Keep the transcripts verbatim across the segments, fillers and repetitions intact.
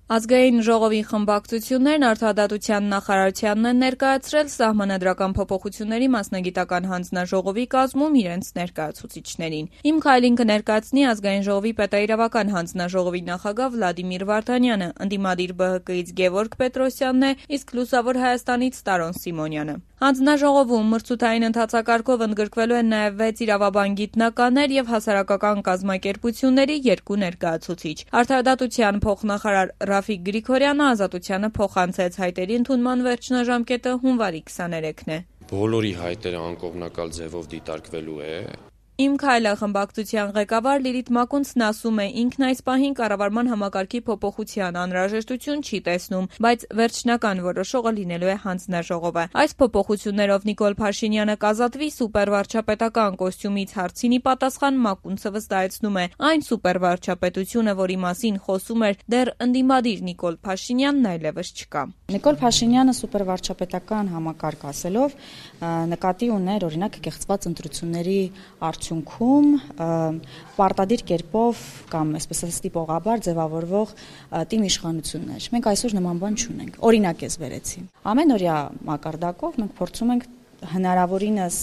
Ազգային ժողովի խմբակցություններն Արդարադատության նախարարությանն են ներկայացրել սահմանադրական փոփոխությունների մասնագիտական հանձնաժողովի կազմում իրենց ներկայացուցիչներին։ «Իմ քայլին» կներկայացնի Ազգային ժողովի պետաիրավական հանձնաժողովի նախագահ Վլադիմիր Վարդանյանը, ընդդիմադիր Բ Հ Կ-ից Գևորգ Պետրոսյանն է, իսկ Լուսավոր Հայաստանից Տարոն Սիմոնյանը։ Հանձնաժողովում մրցութային ընթացակարգով ընդգրկվելու են նաև վեց իրավաբան գիտնականներ եւ հասարակական կազմակերպությունների երկու ներկայացուցիչ։ Արդարադատության փոխնախարար Ռաֆիկ Գրիգորյանը Ազատությանը փոխանցեց հայտերի ընդունման վերջնաժամկետը հունվարի քսաներեքն է։ Բոլորի հայտերը անկողմնակալ ձևով դիտարկվելու է։ «Իմ քայլը» խմբակցության ղեկավար Լիլիթ Մակունցն ասում է, ինքն այս պահին կառավարման համակարգի փոփոխության անհրաժեշտություն չի տեսնում, բայց վերջնական որոշողը լինելու է հանձնաժողովը։ Այս փոփոխություններով Նիկոլ Փաշինյանը կազատվի սուպերվարչապետական կոստյումից հարցին ի պատասխան Մակունցը վստահեցնում է, այն սուպերվարչապետությունը, որի մասին խոսում էր դեռ ընդդիմադիր Նիկոլ Փաշինյանն, այլևս չկա։ Նիկոլ Փաշինյանը սուպերվարչապետական համակարգ ասելով նկատի ուներ օրինակ կեղծված ընտրությունների արդյունքում պարտադիր կերպով կամ այսպես ասած տիպողաբար ձևավորվող տիմ իշխանություններ։ Մենք այսօր նման բան չունենք։ Օրինակ ես վերեցի։ Ամենօրյա մակարդակով մենք փորձում ենք հնարավորինս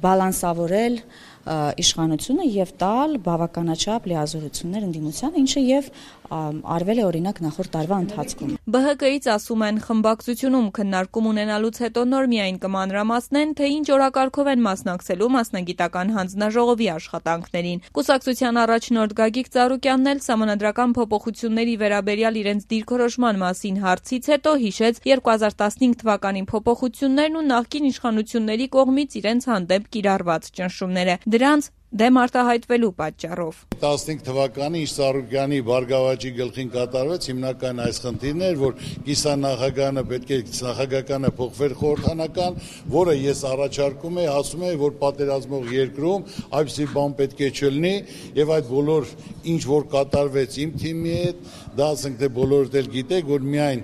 բալանսավորել իշխանությունը եւ տալ բավականաչափ լիազորություններ ընդդիմությանը, ինչը եւ արվել է օրինակ նախորդ տարվա ընթացքում։ Բ Հ Կ-ից ասում են, խմբակցությունում քննարկում ունենալուց հետո նոր միայն կմանրամասնեն, թե ինչ օրակարգով են մասնակցելու մասնագիտական հանձնաժողովի աշխատանքներին։ Կուսակցության առաջնորդ Գագիկ Ծառուկյանն էլ սահմանադրական փոփոխությունների վերաբերյալ իրենց դիրքորոշման մասին հարցից հետո հիշեց երկու հազար տասնհինգ թվականի փոփոխություններն ու նախկին իշխանությունների կողմից իրենց հանդեպ կիրառված ճնշումները։ Դրանց դեմ արտահայտվելու պատճառով։ տասնհինգ թվականի ինչ Ծառուկյանի Բարգավաճի գլխին կատարվեց հիմնական այս խնդիրն էր, որ կիսանախագահանը պետք է նախագահականը փոխվեր խորհրդանական, որը ես առաջարկում եմ, ասում եմ, որ պատերազմող երկրում այդպիսի բան պետք է չլինի եւ այդ բոլոր ինչ որ կատարվեց իմ թիմի հետ, դա ասենք թե բոլորդ էլ գիտեք, որ միայն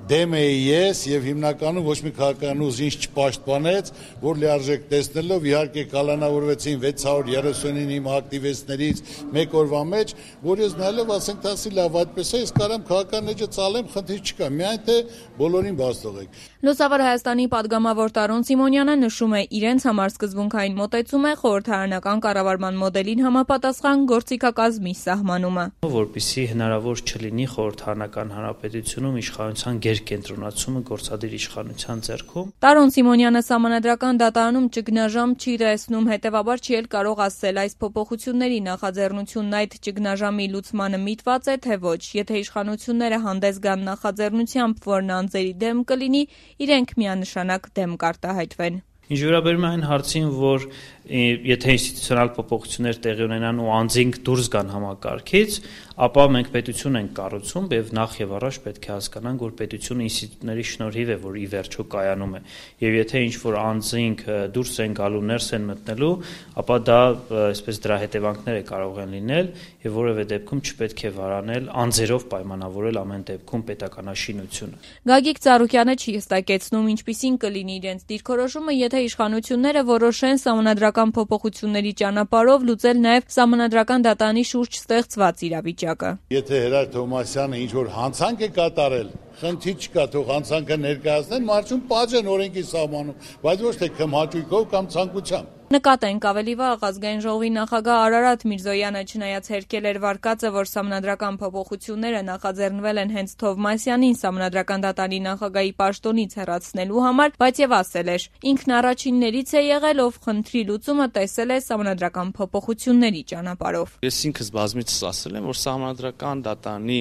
դեմ էի ես եւ հիմնականում ոչ մի քաղաքական ուժ ինձ չպաշտպանեց, որ լիարժեք տեսնելով իհարկե կալանավորվեցին վեց հարյուր երեսունինը իմ ակտիվիստներից մեկ օրվա մեջ, որ ես նայելով ասենք տասի լավ այդպես է, ես կարամ քաղաքական էջը ծալեմ, խնդիր չկա, միայն թե բոլորին բաց թողեք։ Լուսավոր Հայաստանի падգամավոր Տարոն Սիմոնյանը նշում է, իրենց համար սկզբունքային մոտեցում է խորհրդարանական կառավարման մոդելին համապատասխան գործիքակազմի սահմանումը, որպեսզի հնարավոր չլինի խորհրդարանական հանրապետությունում իշխանության կենտրոնացումը գործադիր իշխանության ձեռքում։ Տարոն Սիմոնյանը սահմանադրական դատարանում ճգնաժամ չի տեսնում, հետևաբար չի էլ կարող ասել այս փոփոխությունների նախաձեռնությունն այդ ճգնաժամի լուծմանը միտված է, թե ոչ։ Եթե իշխանությունները հանդես գան նախաձեռնությամբ, որն անձերի դեմ կլինի, իրենք միանշանակ դեմ կարտահայտվեն։ Ինչ վերաբերում է այն հարցին, որ եթե ինստիտուցիոնալ փոփոխություններ տեղի ունենան ու անձինք դուրս գան համակարգից, ապա մենք պետություն ենք կառուցում եւ նախ եւ առաջ պետք է հասկանանք, որ պետությունը ինստիտուտների շնորհիվ է, որ ի վերջո կայանում է։ Եվ եթե ինչ որ անձինք դուրս են գալու, ներս են մտնելու, ապա դա այսպես դրա հետևանքները կարող են լինել եւ որևէ դեպքում չպետք է վարանել անձերով պայմանավորել ամեն դեպքում պետականաշինությունը։ Գագիկ Ծառուկյանը չի հստակեցնում, ինչպիսին կլինի իրենց դիրքորոշումը, եթե իշխանությունները որոշեն սահմանադրական փոփոխությունների ճանապարհով լուծել նաև սահմանադրական դատանի շուրջ ստեղծված իրավիճակը։ Եթե Հերար Թովմասյանը ինչ որ հանցանք է կատարել, խնդիր չկա, թող հանցանքը ներկայացնեն, մարզում պահ են օրենքի սահմանում, բայց ոչ թե քմհաճույքով կամ ցանկությամբ։ Նկատենք ավելի վաղ Ազգային ժողովի նախագահ Արարատ Միրզոյանը չնայած հերքել էր վարկածը, որ սահմանադրական փոփոխությունները նախաձեռնվել են հենց Թովմասյանին սահմանադրական դատարանի նախագահի պաշտոնից հեռացնելու համար, բայց եւ ասել էր, ինքն առաջիններից է եղել, ով խնդրի լուծումը տեսել է սահմանադրական փոփոխությունների ճանապարհով։ Ես ինքս բազմիցս ասել եմ, որ սահմանադրական դատարանի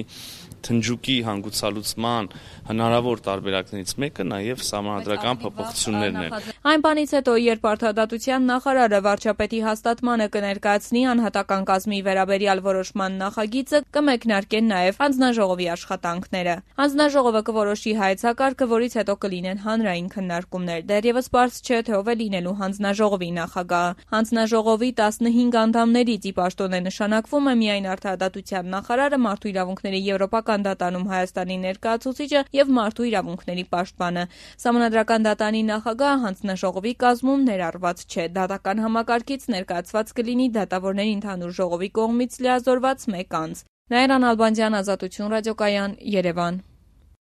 թնջուկի հանգուցալուծման հնարավոր տարբերակներից մեկը նաև սահմանադրական փոփոխություններն են։ Այն բանից հետո, երբ Արդարադատության նախարարը վարչապետի հաստատմանը կներկայացնի անհատական կազմի վերաբերյալ որոշման նախագիծը, կմեկնարկեն նաև հանձնաժողովի աշխատանքները։ Հանձնաժողովը կորոշի հայեցակարգը, որից հետո կլինեն հանրային քննարկումներ։ Դեռևս պարզ չէ, թե ով է լինելու հանձնաժողովի նախագահը։ Հանձնաժողովի տասնհինգ անդամներից ի պաշտոն է նշանակվում է միայն Արդարադատության նախարարը, Մարդու իրավունքների եվրոպական դատարանում Հայաստանի ներկայացուցիչը եւ Մարդու իրավունքների պաշտպանը։ Սահմանադրական դատարանի նախագահը հանձնաժողովի կազմում ներառված չէ։ Դատական համակարգից ներկայացված կլինի դատավորների ընդհանուր ժողովի կողմից լիազորված մեկ անձ։ Նաիրա Նալբանդյան, Ազատություն ռադիոկայան, Երևան։